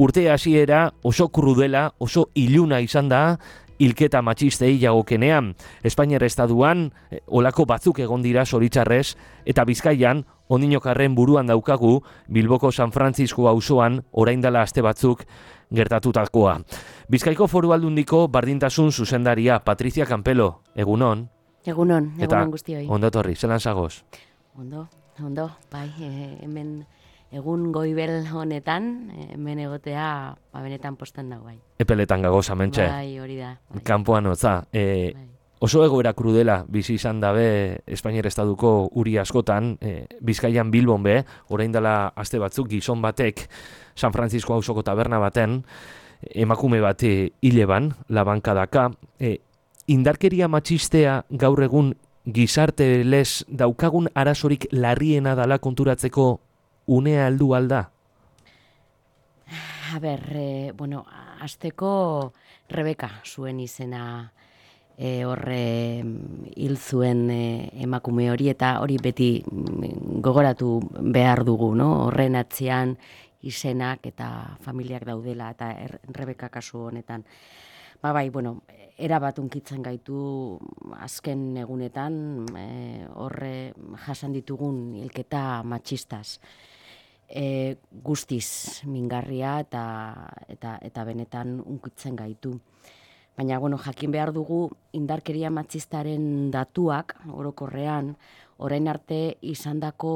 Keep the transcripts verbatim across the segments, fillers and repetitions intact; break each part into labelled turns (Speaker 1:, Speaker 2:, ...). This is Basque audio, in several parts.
Speaker 1: urte hasiera oso krudela, oso iluna izan da, hilketa matxistei jagokenean. Espainiar estatuan eh, olako batzuk egon dira zoritxarrez, eta Bizkaian, ondinokarren buruan daukagu, Bilboko San Francisco auzoan orain dela aste batzuk gertatutakoa. Bizkaiko Foru Aldundiko bardintasun zuzendaria, Patricia Campelo, egunon.
Speaker 2: Egunon, egunon guztioi.
Speaker 1: Eta ondo etorri, zelan zagoz?
Speaker 2: Ondo, ondo, bai, e, hemen egun goibel honetan, hemen egotea, ba, benetan posten dago, bai.
Speaker 1: Epeletan gagoz, amentxe.
Speaker 2: Bai, hori da. Bai.
Speaker 1: Kanpoan hotza. E,
Speaker 2: bai.
Speaker 1: Oso egoera krudela bizi izan dabe Espainiar estatuko uri askotan, e, Bizkaian Bilbon be, orain dela aste batzuk gizon batek San Francisco auzoko taberna baten, emakume bat hile ban, labankadaka, e, indarkeria matxistea gaur egun gizarte lez daukagun arazorik larriena dala konturatzeko unea heldu alda?
Speaker 2: A ber, e, bueno, azteko Rebeka zuen izena e, horre hil zuen e, emakume hori, eta hori beti gogoratu behar dugu, no? Horren atzean izenak eta familiak daudela, eta er, Rebeka kasu honetan. Ba bai, bueno, erabat unkitzen gaitu azken egunetan e, horre jasan ditugun hilketa matxistaz. E, guztiz mingarria eta, eta, eta benetan unkitzen gaitu. Baina, bueno, jakin behar dugu indarkeria matxistaren datuak, orokorrean, orain arte izandako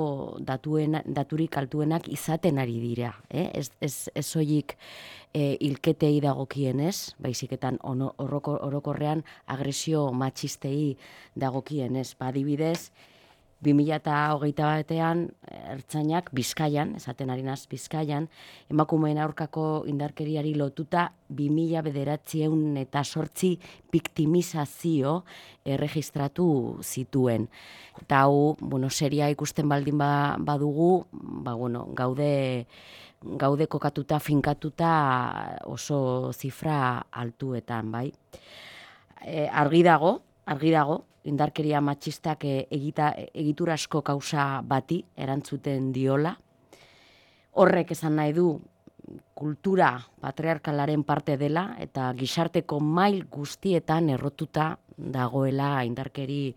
Speaker 2: datuen, daturik altuenak izaten ari dira. Eh? Ez, ez, ez soilik e, hilketei dagokienez, baiziketan oroko, orokorrean agresio matxistei dagokienez. Ba, adibidez, bi mila hogeita batean ertzainak Bizkaian, esaten ari naz Bizkaian, emakumeen aurkako indarkeriari lotuta bi mila bederatziehun eta zortzi biktimizazio erregistratu zituen. Eta hau, bueno, seria ikusten baldin ba, badugu, ba, bueno, gaude, gaude kokatuta, finkatuta oso zifra altuetan, bai. E, argi dago, argi dago, indarkeria matxistak egita, egiturasko kausa bati erantzuten diola. Horrek esan nahi du kultura patriarkalaren parte dela eta gizarteko mail guztietan errotuta dagoela indarkeri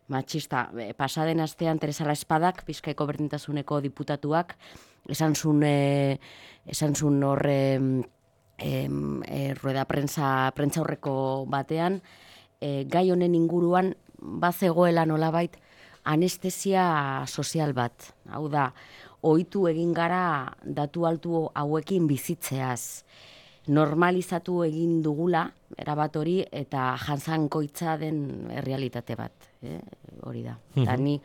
Speaker 2: matxista. Pasaden astean Teresa Espadak, Bizkaiko berdintasuneko diputatuak, esan zuen, e, esan zuen horre e, e, rueda prensa, prentsa horreko batean, e, gai honen inguruan bazegoela nolabait anestesia sozial bat. Hau da, ohitu egin gara datu altu hauekin bizitzeaz. Normalizatu egin dugula, erabat hori, eta jantzankoitza den errealitate bat. Eh? Hori da. Mm-hmm. Eta ni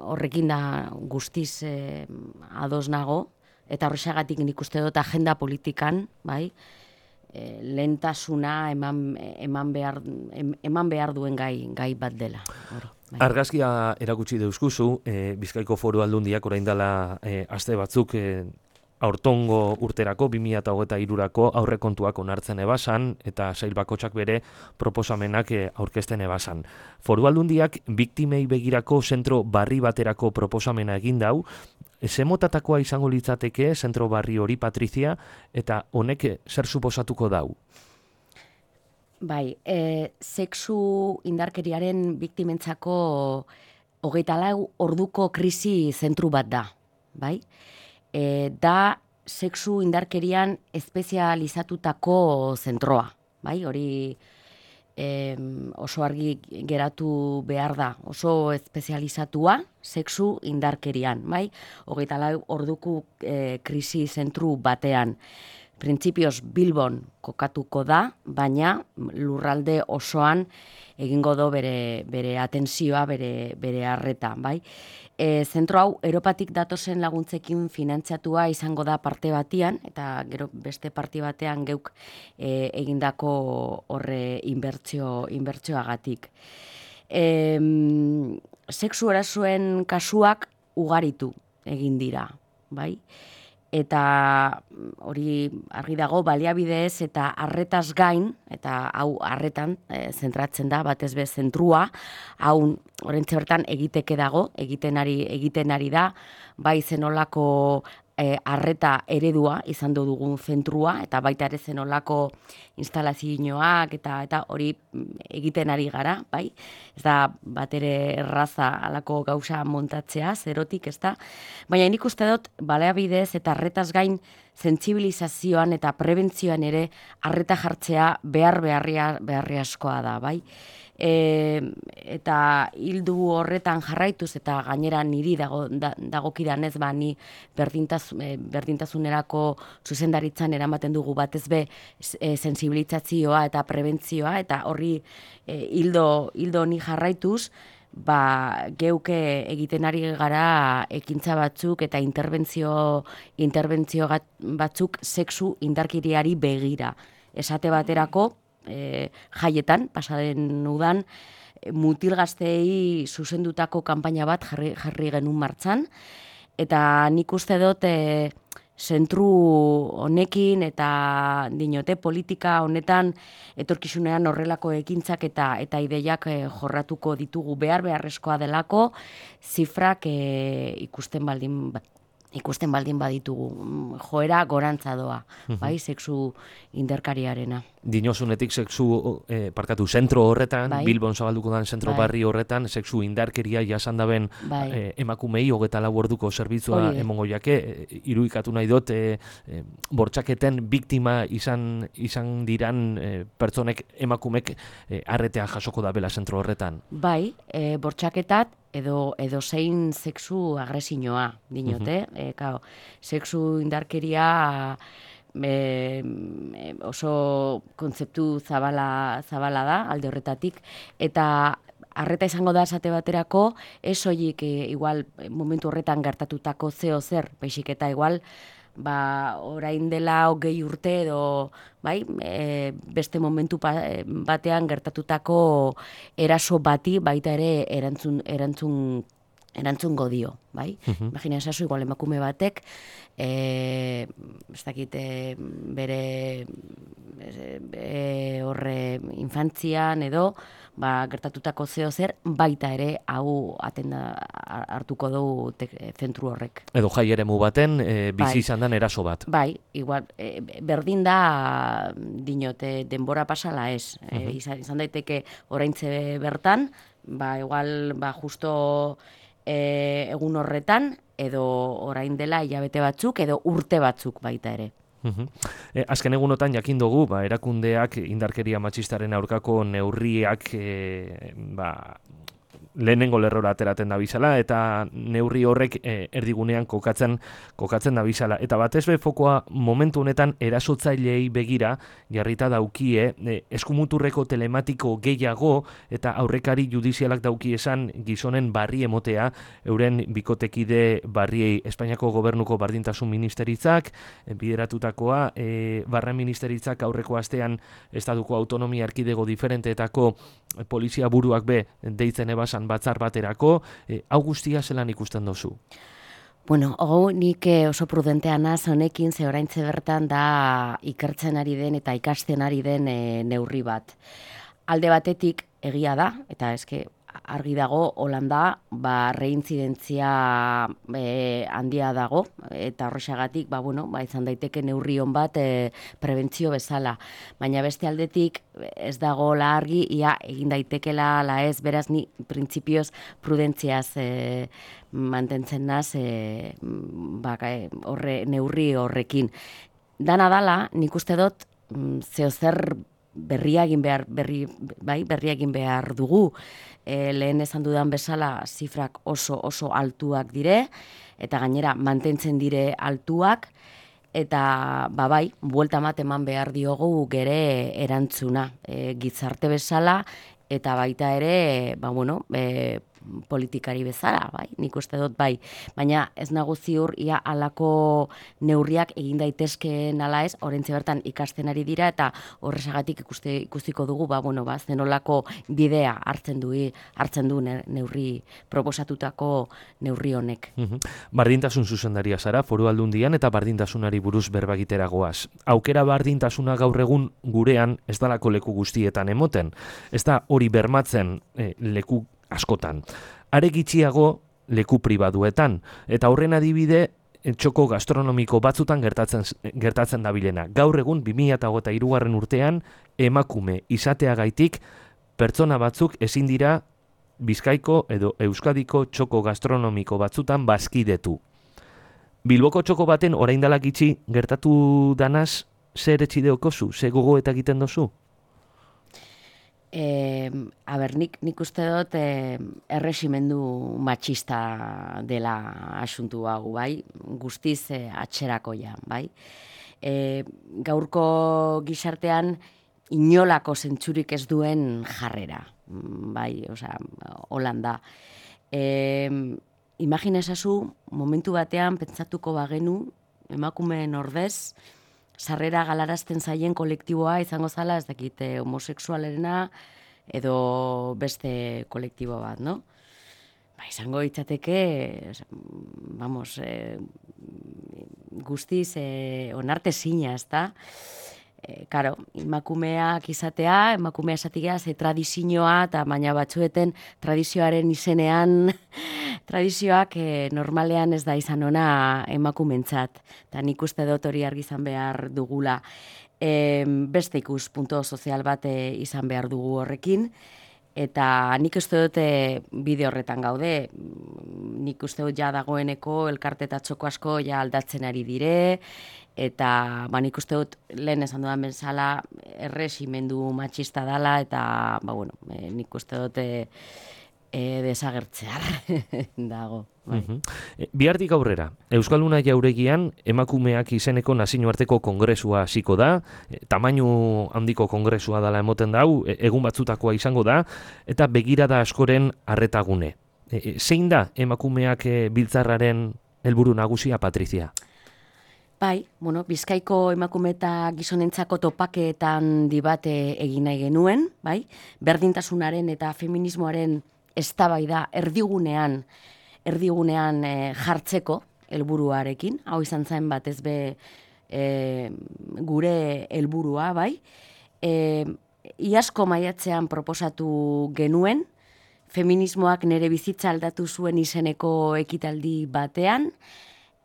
Speaker 2: horrekin da guztiz eh, ados nago, eta horrexagatik nik uste dut agenda politikan, bai, lehentasuna eman, eman, behar, eman behar duen gai, gai bat dela. Hori, bai.
Speaker 1: Argazkia erakutsi deuskuzu, e, Bizkaiko Foru Aldundiak orain dela e, aste batzuk e, aurtongo urterako, bi mila hogeita hirurako aurrekontuak onartzen ebasan, eta sail bakotsak bere proposamenak e, aurkezten ebasan. Foru Aldundiak biktimei begirako zentro barri baterako proposamena egin dau, zemotatakoa izango litzateke zentro barri hori, Patricia, eta honek zer suposatuko dau?
Speaker 2: Bai, e, sexu indarkeriaren biktimentzako hogeita lau orduko krisi zentru bat da, bai? E, da sexu indarkerian espezializatutako zentroa, bai? Hori E, oso argi geratu behar da, oso espezializatua sexu indarkerian, bai? Hogeita lau orduko e, krisi zentru batean. Printzipioz Bilbon kokatuko da, baina lurralde osoan egingo do bere, bere atentzioa, bere, bere arreta, bai? E, zentro hau Europatik datozen laguntzekin finantziatua izango da parte batian, eta gero beste parte batean geuk e, egindako horre inbertsio, inbertsioagatik. E, sexu erasoen kasuak ugaritu egin dira, bai? Eta hori argi dago baliabidez eta arretaz gain, eta hau arretan e, zentratzen da, batez be zentrua, hau orentze bertan egiteke dago, egiten ari, egiten ari da, bai zenolako e, arreta eredua izan dugun zentrua, eta baita ere zenolako instalazioak eta eta hori egiten ari gara, bai? Ez da bat ere erraza alako gauza montatzea, zerotik, ez da? Baina nik uste dut, baliabidez eta arretaz gain sentsibilizazioan eta prebentzioan ere arreta jartzea behar beharria, beharri askoa da, bai? E, eta hildu horretan jarraituz eta gainera niri dago, da, dagokidan ez ba ni berdintaz, e, berdintasunerako zuzendaritzan eramaten dugu batez be e, sensibilizazioa eta prebentzioa eta horri e, hildo, hildo honi jarraituz ba geuke egiten ari gara ekintza batzuk eta interbentzio interbentzio batzuk sexu indarkeriari begira. Esate baterako E, jaietan, pasaden udan, mutil gazteei zuzendutako kanpaina bat jarri, jarri genuen martzan, eta nik uste dut e, zentru honekin eta dinote politika honetan etorkizunean horrelako ekintzak eta eta ideiak e, jorratuko ditugu behar beharrezkoa delako zifrak e, ikusten baldin ikusten baldin baditugu, joera gorantza doa, bai, sexu indarkariarena.
Speaker 1: Dinosunetik sexu, eh, parkatu, zentro horretan, bai. Bilbon zabalduko dan zentro bai. Barri horretan, sexu indarkeria jasan daben bai. eh, emakumei hogeta lau orduko zerbitzua emongo jake, eh, irudikatu nahi dut, eh, eh, bortxaketen biktima izan, izan diran eh, pertsonek emakumek eh, arretea jasoko da bela zentro horretan.
Speaker 2: Bai, eh, bortxaketat, edo edo zein sexu agresinoa dinote, uh-huh. e, kao, sexu indarkeria e, oso kontzeptu zabala, zabala da, alde horretatik, eta arreta izango da esate baterako, ez soilik e, igual momentu horretan gertatutako zeo zer, baizik eta igual, ba, orain dela hogei urte edo bai, e, beste momentu batean gertatutako eraso bati baita ere erantzun erantzun erantzungo dio, bai? Uh-huh. Imagina esazu, igual emakume batek e, ez dakit bere e, horre infantzian edo ba, gertatutako zeo zer, baita ere hau atenda hartuko du zentru horrek.
Speaker 1: Edo jai eremu baten, e, bizi izan den eraso bat.
Speaker 2: Bai, igual, e, berdin da dinote denbora pasala ez. Uh-huh. e, izan, izan daiteke oraintze bertan, ba, igual, ba, justo e, egun horretan, edo orain dela hilabete batzuk, edo urte batzuk baita ere.
Speaker 1: Uhum. E, azken egunotan jakin dugu, ba, erakundeak indarkeria matxistaren aurkako neurriak e, ba, lehenengo lerrora ateraten da bizala, eta neurri horrek e, erdigunean kokatzen kokatzen da bizala. Eta batez be fokoa momentu honetan erasotzaileei begira jarrita daukie e, eskumuturreko telematiko gehiago eta aurrekari judizialak dauki esan gizonen barri emotea euren bikotekide barriei. Espainiako gobernuko bardintasun ministeritzak e, bideratutakoa, e, barren ministeritzak aurreko astean estatuko autonomia erkidego diferenteetako e, polizia buruak be deitzen ebasan batzar baterako, e, hau guztia zelan ikusten dozu?
Speaker 2: Bueno, hau nik oso prudentea naz honekin, ze oraintze bertan da ikertzen ari den eta ikasten ari den e, neurri bat. Alde batetik egia da, eta eske argi dago, Holanda, ba, reintzidentzia e, handia dago, eta horrexagatik, ba, bueno, ba, izan daiteke neurri on bat e, prebentzio bezala. Baina beste aldetik, ez dago la argi, ia egin daitekela la ez, beraz ni printzipioz prudentziaz e, mantentzen naz e, ba, horre, neurri horrekin. Dana dala, nik uste dut, zeo zer berria egin behar, berri, bai, berria egin behar dugu. E, lehen esan dudan bezala zifrak oso oso altuak dire, eta gainera mantentzen dire altuak, eta ba bai, buelta mat eman behar diogu gere erantzuna. E, gizarte bezala, eta baita ere, ba bueno, e, politikari bezala, bai, nik uste dut bai. Baina ez nago ziur, ia alako neurriak egin daitezkeen ala ez, orentze bertan ikasten ari dira, eta horrezagatik ikuste, ikustiko dugu, ba, bueno, ba, zenolako bidea hartzen du, hartzen du neurri, proposatutako neurri honek.
Speaker 1: Uhum. Bardintasun zuzendaria zara, Foru Aldundian, eta bardintasunari buruz berbagitera goaz. Aukera bardintasuna gaur egun gurean ez dalako leku guztietan emoten. Ez da hori bermatzen eh, leku askotan. Are gitxiago leku pribaduetan. Eta horren adibide txoko gastronomiko batzutan gertatzen gertatzen dabilena. Gaur egun bi mila hogeita hirugarren urtean emakume izateagaitik pertsona batzuk ezin dira Bizkaiko edo Euskadiko txoko gastronomiko batzutan bazkidetu. Bilboko txoko baten orain dela gitxi gertatu danaz, zer etxideokozu, ze gogo eta egiten dozu?
Speaker 2: E, aber, nik, nik uste dut e, erresimendu matxista dela asuntu hau, bai? Guztiz e, atxerakoia, bai? E, gaurko gizartean inolako zentzurik ez duen jarrera, bai, osea, Holanda. E, Imaginezazu, momentu batean pentsatuko bagenu, emakumeen ordez, sarrera galarazten zaien kolektiboa izango zala, ez dakit, eh, homosexualerena edo beste kolektibo bat, no? Ba, izango itzateke, vamos, eh, guztiz eh, onartezina, ezta? E, karo, emakumeak izatea, emakumea esatia, ze tradizioa, eta baina batzueten tradizioaren izenean, tradizioak e, normalean ez da izan ona emakumentzat. Eta nik uste dut hori argi izan behar dugula. E, beste ikus punto sozial bat e, izan behar dugu horrekin. Eta nik uste dut e, bide horretan gaude. Nik uste dut ja dagoeneko elkarte eta txoko asko ja aldatzen ari dire, eta ba, nik uste dut lehen esan dudan bezala erresimendu matxista dala, eta ba, bueno, e, nik uste dut e, e, desagertzear dago. Bai.
Speaker 1: Uh-huh. E, bihartik aurrera, Euskalduna Jauregian emakumeak izeneko nazioarteko kongresua hasiko da, e, tamainu handiko kongresua dela emoten dau, e, egun batzutakoa izango da, eta begirada askoren arretagune. E, e, zein da emakumeak e, biltzarraren helburu nagusia, Patrizia?
Speaker 2: Bai, bueno, Bizkaiko emakume eta gizonentzako topaketan dibate egin nahi genuen, bai? Berdintasunaren eta feminismoaren eztabaida erdigunean, erdigunean e, jartzeko helburuarekin, hau izan zen batez be e, gure helburua, bai? E, iazko maiatzean proposatu genuen, feminismoak nere bizitza aldatu zuen izeneko ekitaldi batean,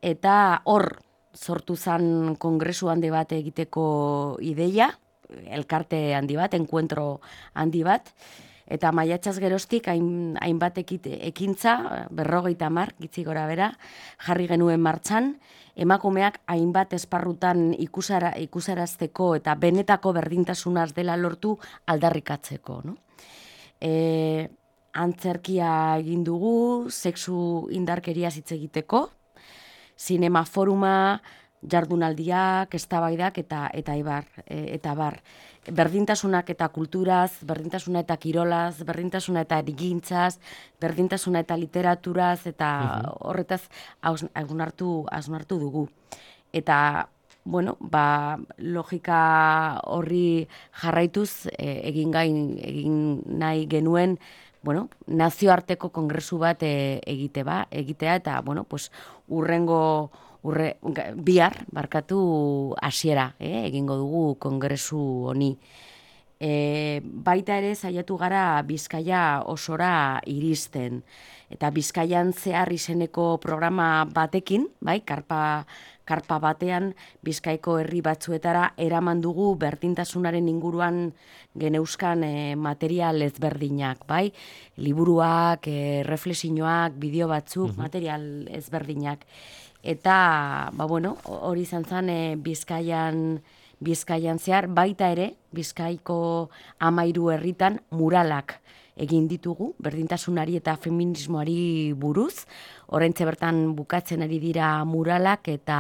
Speaker 2: eta hor sortu zen kongresu handi bat egiteko ideia, elkarte handi bat, enkuentro handi bat, eta maiatzaz geroztik hain, hainbat ekintza, berrogeita hamar, gitzi gora bera, jarri genuen martxan, emakumeak hainbat esparrutan ikusara, ikusarazteko eta benetako berdintasunaz dela lortu aldarrikatzeko. No? E, antzerkia egin dugu, sexu indarkeria hitz egiteko, zinema foruma, jardunaldiak, eztabaidak eta eta ibar, e, eta bar. Berdintasunak eta kulturaz, berdintasuna eta kirolaz, berdintasuna eta erigintzaz, berdintasuna eta literaturaz, eta horretaz hausnartu hausnartu dugu. Eta, bueno, ba, logika horri jarraituz e, egin gain egin nahi genuen, bueno, nazioarteko kongresu bat e, egite ba, egitea, eta, bueno, pues, urrengo Urre, bihar, barkatu hasiera, eh, egingo dugu kongresu honi. E, baita ere saiatu gara Bizkaia osora iristen. Eta Bizkaian zehar izeneko programa batekin, bai, karpa, karpa batean Bizkaiko herri batzuetara eraman dugu berdintasunaren inguruan geneuzkan e, material ezberdinak, bai, liburuak, e, reflexioak, bideo batzuk, uh-huh. material ezberdinak. Eta, ba bueno, hori izan zen e, Bizkaian, Bizkaian zehar, baita ere, Bizkaiko hamairu herritan muralak egin ditugu, berdintasunari eta feminismoari buruz. Oraintxe bertan bukatzen ari dira muralak, eta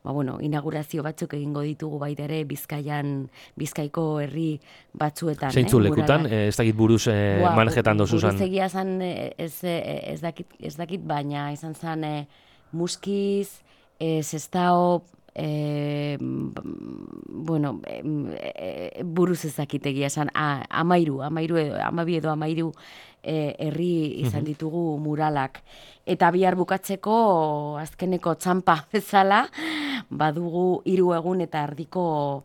Speaker 2: ba bueno, inaugurazio batzuk egingo ditugu baita ere Bizkaian, Bizkaiko herri batzuetan.
Speaker 1: Zeintzu
Speaker 2: eh,
Speaker 1: lekutan, eh, ez dakit buruz eh,
Speaker 2: Boa,
Speaker 1: manejetan dozu zan?
Speaker 2: Buruz egia zan, ez, ez, dakit, ez dakit, baina izan zan... Eh, Muskiz, eh, Sestao, eh, bueno, eh, buruz ezakitegia esan, ah, amairu, amairu edo, amabi edo amairu eh, herri izan ditugu muralak. Eta bihar bukatzeko azkeneko txampa bezala, badugu hiru egun eta erdiko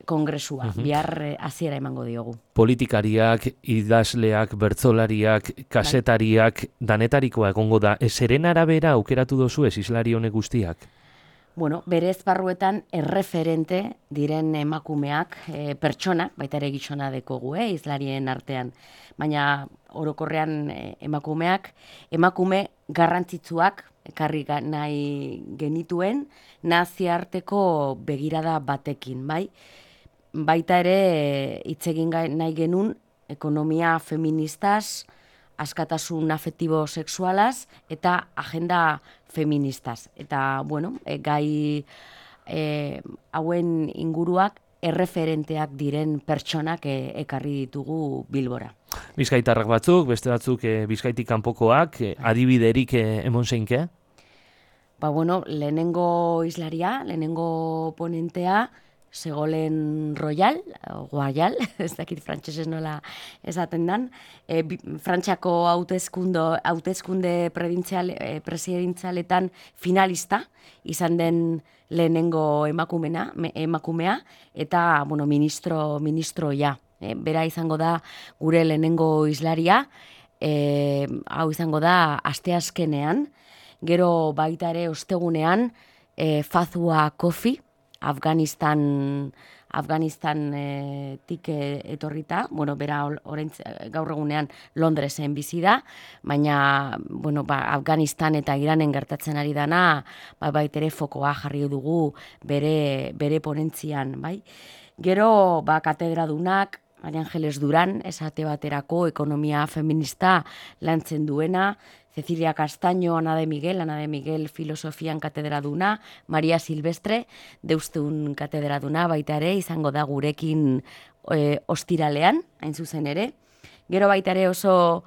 Speaker 2: kongresua, uh-huh. bihar hasiera emango diogu.
Speaker 1: Politikariak, idazleak, bertsolariak, kasetariak, danetarikoa egongo da. Zeren arabera aukeratu dozu ez islari honek guztiak?
Speaker 2: Bueno, bere esparruetan erreferente diren emakumeak, e, pertsonak, baita ere gizona dekogu, eh, izlarien artean. Baina orokorrean e, emakumeak, emakume garrantzitsuak, ekarri nahi genituen, naziarteko begirada batekin, bai? Baita ere hitz egin nahi genuen ekonomia feministaz, askatasun afektibo sexualaz eta agenda feministaz. Eta, bueno, e, gai e, hauen inguruak erreferenteak diren pertsonak e, ekarri ditugu Bilbora.
Speaker 1: Bizkaitarrak batzuk, beste batzuk e, Bizkaitik kanpokoak, e, adibiderik e, emon zeinke?
Speaker 2: Ba, bueno, lehenengo islaria, lehenengo ponentea, Segolen Royal, Guayal, ez dakit frantsesez nola esaten dan, e, Frantziako hauteskunde hauteskunde e, presidentzaletan finalista izan den lehenengo emakumena, me, emakumea eta bueno, ministro ministroia. E, bera izango da gure lehenengo islaria, e, hau izango da asteazkenean, gero baita ere ostegunean e, Fazua Kofi, Afganistan Afganistan e, tik etorrita, bueno, bera orain gaur egunean Londresen bizi da, baina bueno, ba, Afganistan eta Iranen gertatzen ari dana, ba, baitere fokoa jarri dugu bere bere ponentzian, bai. Gero ba katedradunak, Maria Angeles Duran, esate baterako ekonomia feminista lantzen duena, Cecilia Castaño, Ana de Miguel, Ana de Miguel filosofian katedraduna, Maria Silvestre, Deusteun katedraduna, baita ere, izango da gurekin e, ostiralean, hain zuzen ere. Gero baita ere oso,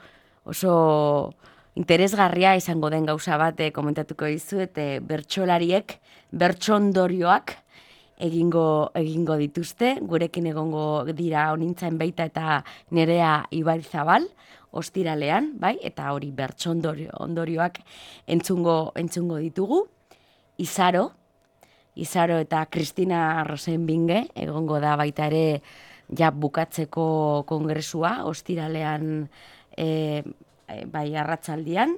Speaker 2: oso interesgarria izango den gauza bat e, komentatuko dizuet, e, bertsolariek, bertsondorioak egingo egingo dituzte, gurekin egongo dira honintzen baita eta Nerea Ibaizabal, ostiralean, bai, eta hori bertsondorio ondorioak entzungo entzungo ditugu. Izaro, Izaro eta Kristina Rosenbinge egongo da baita ere ja bukatzeko kongresua ostiralean e, e, bai arratzaldian.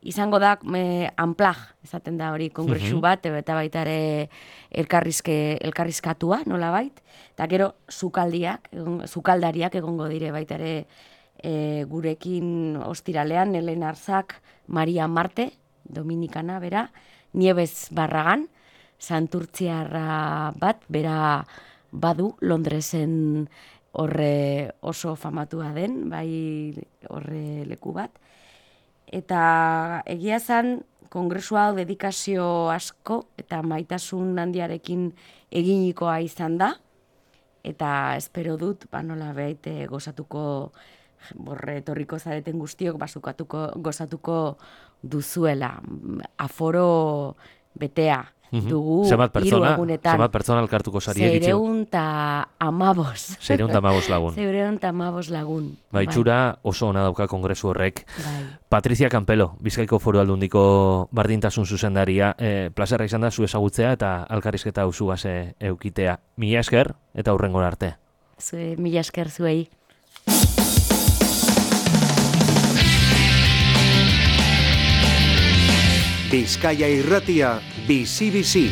Speaker 2: Izango da e, unplag, esaten da hori kongresu bat, eta baita ere elkarrizke, elkarrizkatua, nola bait. Eta gero sukaldiak, egon, sukaldariak egongo dire baita ere e, gurekin ostiralean, Helen Arzak, Maria Marte, Dominikana, bera, Nieves Barragan, santurtziarra bat, bera badu Londresen horre oso famatua den, bai horre leku bat. Eta egia zen, kongresua dedikazio asko eta maitasun handiarekin eginikoa izan da. Eta espero dut, ba nola behite gozatuko, borre etorriko zareten guztiok, basukatuko gozatuko duzuela. Aforo betea dugu hiru egunetan.
Speaker 1: Zemat pertsona elkartuko zari egitxo?
Speaker 2: Zeireun eta amabos.
Speaker 1: Zeireun eta amabos lagun.
Speaker 2: Zeireun eta amabos lagun.
Speaker 1: Ba, itxura oso ona dauka kongresu horrek.
Speaker 2: Bai.
Speaker 1: Patricia Campelo, Bizkaiko Foru Aldundiko bardintasun zuzendaria, e, plazerra izan da zu ezagutzea eta alkarrizketa usu base eukitea. Mila esker eta hurrengora arte.
Speaker 2: Zue, mila esker zuei.
Speaker 3: Bizkaia Irratia, bizi-bizi.